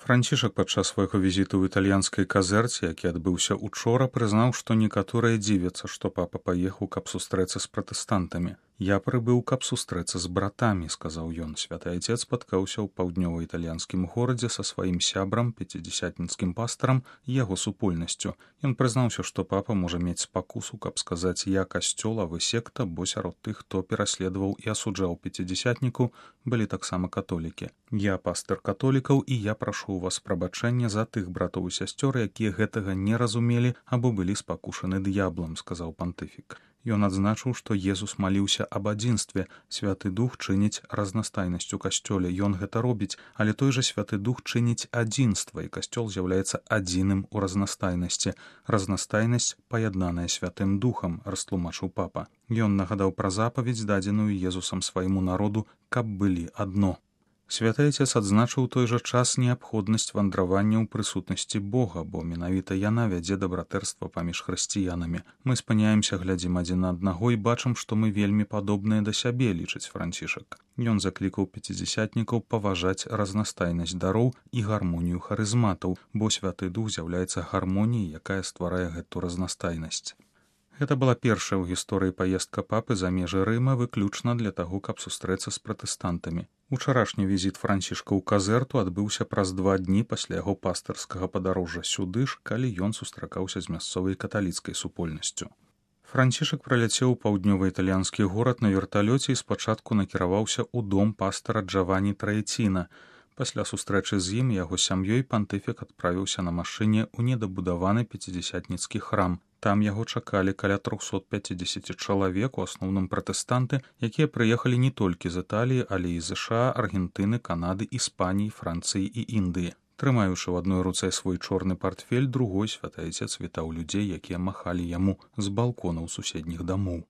Францішак падчас свайго візіту ў італьянскай казэрце, які адбыўся учора, прызнаў, што некаторыя дзівяцца, што папа паехаў, каб сустрэцца з пратэстантамі. «Я прыбыў, каб сустрэцца з братамі», — сказаў ён. Святы Айцец спаткаўся ў паўднёва-італьянскім горадзе са сваім сябрам, пяцідзясятніцкім пастарам і яго супольнасцю. Ён прызнаўся, што папа можа мець спакусу, каб сказаць «я касцёл, а вы секта», бо сярод тых, хто пераследаваў і асуджаў пяцідзясятнікаў, былі таксама католікі. «Я пастыр католікаў, і я прашу у вас прабачэння за тых братоў і сясцёр, якія гэтага не разумелі або былі спакушаны д'яблам», — сказаў пантыфік. Ён адзначыў, што Езус маліўся аб адзінстве. Святы Дух чыніць разнастайнасць у касцёле. Ён гэта робіць, але той жа Святы Дух чыніць адзінства, і касцёл з'яўляецца адзіным у разнастайнасці. Разнастайнасць, паяднаная Святым Духам, растлумачыў папа. Ён нагадаў пра запаведзь, дадзеную Езусам свайму народу, каб былі адно. Святы Айцец адзначыў у той жа час неабходнасць вандравання ў прысутнасці Бога, бо менавіта яна вядзе да братэрства паміж хрысціянамі. Мы спыняемся, глядзім адзін на аднаго і бачым, што мы вельмі падобныя да сябе, лічыць Францішак. Ён заклікаў пяцідзясятнікаў паважаць разнастайнасць дароў і гармонію харызматаў, бо Святы Дух з'яўляецца гармоніяй, якая стварае гэту разнастайнасць. Гэта была першая ў гісторыі паездка папы за межы Рыма выключна для таго, каб сустрэцца з пратэстантамі. Учарашні візіт Францішка ў казэрту адбыўся праз 2 дні пасля яго пастырскага падарожжа сюды ж, калі ён сустракаўся з мясцовай каталіцкай супольнасцю. Францішак праляцеў у паўднёва-італьянскі горад на верталёце і спачатку накіраваўся ў дом пастара Джавані Траеціна. Пасля сустрэчы з ім і яго сям'ёй пантыфік адправіўся на машыне ў недабудаваны пяцідзясятніцкі храм. Там яго чакалі каля 350 чалавек, у асноўным пратэстанты, якія прыехалі не толькі з Італіі, але і з США, Аргентыны, Канады, Іспаніі, Францыі і Індыі. Трымаючы ў адной руцэ свой чорны партфель, другой Святы Айцец вітаў людзей, якія махалі яму з балконаў суседніх дамоў.